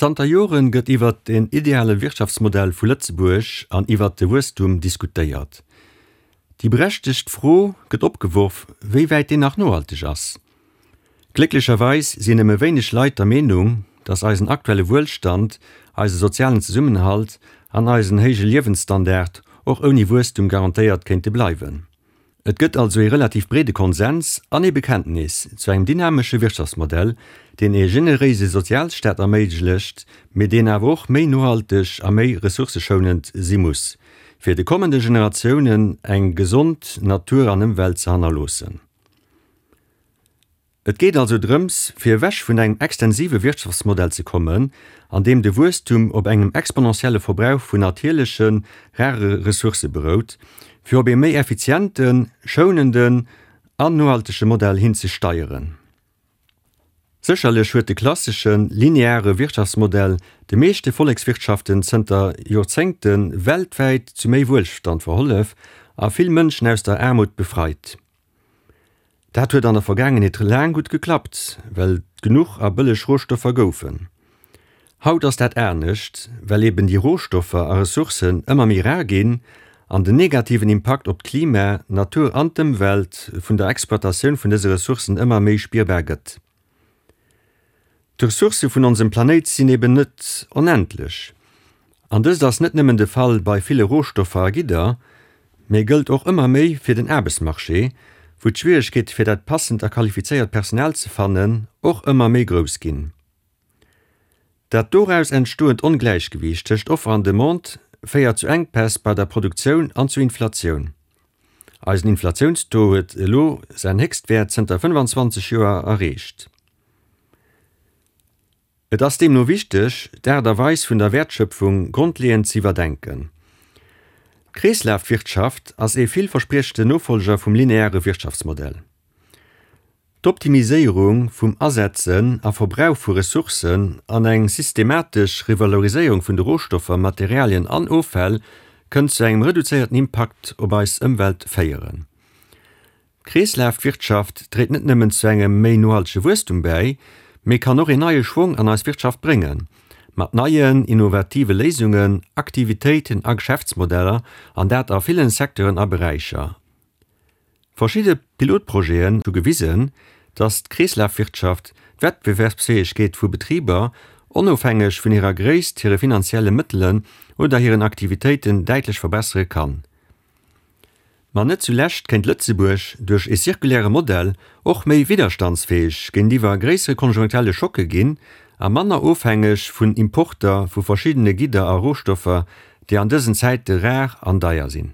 Zanter Joren gëtt iwwert den ideale Wirtschaftsmodell vu Lëtzebuerg an iwwert de Wuesstum diskutéiert. Déi berechtegt Fro gëtt opgeworf, wéi wäit deen nach nohalteg ass. Glécklecherweis sinn nëmme wéineg Leit der Meenung, datt eisen aktuelle Wuelstand, eise sozialen Zesummenhalt an eisen héije Liewensstandard och ouni Wuesstum garantéiert kéinte bleiwen. Et gëtt also ee relativ breede Konsens an ee Bekenntnis zu engem dynamesche Wirtschaftsmodell, deen ee generéise Sozialstaat erméiglecht, mee deen awer och méi nohalteg a méi ressourcëschounend si muss, fir de kommende Generatiounen eng gesond Natur an Ëmwelt ze hannerloossen. Et geet also drëms, fir ewech vun engem extensive Wirtschaftsmodell ze kommen, an deem de Wuesstum op engem exponentielle Verbrauch vun natierlechen, rare Ressourcë berout, fir op ee méi effizienten, schounenden an nohaltege Modell hin ze steieren. Sécherlech huet de klasseschen, lineare Wirtschaftsmodell de meeschte Vollekswirtschaften zënter Joerzéngte weltwäit zu méi Wuelstand verhollef a vill Mënschen aus der Aarmut befreit. Dat huet an der Vergaangenheet laang gutt geklappt, well et genuch a bëlleg Rohstoffer goufen. Haut ass dat anescht, well eben déi Rohstoffer a Ressourcen ëmmer méi rar ginn an den negativen Impakt op d'Klima, d'Natur an d'Ëmwelt vun der Exploitatioun vun dëse Ressourcen ëmmer méi spierbar gëtt. D'Ressourcë vun onsem Planéit sinn eben net onendlech. An dëst ass net nëmmen de Fall bei ville Rohstoffer a Gidder, mee gëllt och ëmmer méi fir den Aarbechtsmarché, wou d'Schwieregkeete fir dat passend a qualifizéiert Personal ze fannen och ëmmer méi grouss ginn. Dat doraus entstoend Ongläichgewiicht tëscht Offer an Demande féiert zu Enkpäss bei der Produktioun an zu Inflatioun. Eisen Inflatiounstaux huet elo säin Héchstwäert zënter 25 Joer erreecht. Et ass deemno wichteg, d'Aart a Weis vun der Wäertschöpfung grondleeënd ze iwwerdenken. D'Kreeslafwirtschaft ass ee villverspriechende Nofollger vum lineare Wirtschaftsmodell. D'Optimiséierung vum Asetzen a Verbrauch vu Ressourcen an eng systematesch Revaloriséierung vun de Rohstoffer, Materialien an Offäll kënnt zu engem reduzéierten Impakt op eis Ëmwelt féieren. D'Kreeslafwirtschaft dréit net nëmmen zu engem méi nohaltege Wuesstum bäi, mee kann och een neie Schwong an eis Wirtschaft bréngen, mat neien, innovative Léisungen, Aktivitéiten a Geschäftsmodeller, an dat a villen Secteuren a Beräicher. Verschidde Pilotprojeten hu gewisen, datt d'Kreeslafwirtschaft d'Wettbewerbsfäegkeet vu Betriber, onofhängeg vun hirer Gréisst, hire finanzielle Mëttelen oder hiren Aktivitéiten, däitlech verbessere kann. Ma net zulescht kéint Lëtzebuerg duerch e zirkuläre Modell och méi widderstandsfäeg géintiwwer gréissere konjunkturelle Schocke ginn a manner ofhängeg vun Importer vu verschiddene Gidder a Rohstoffer, déi an dësen Zäite rar an deier sinn.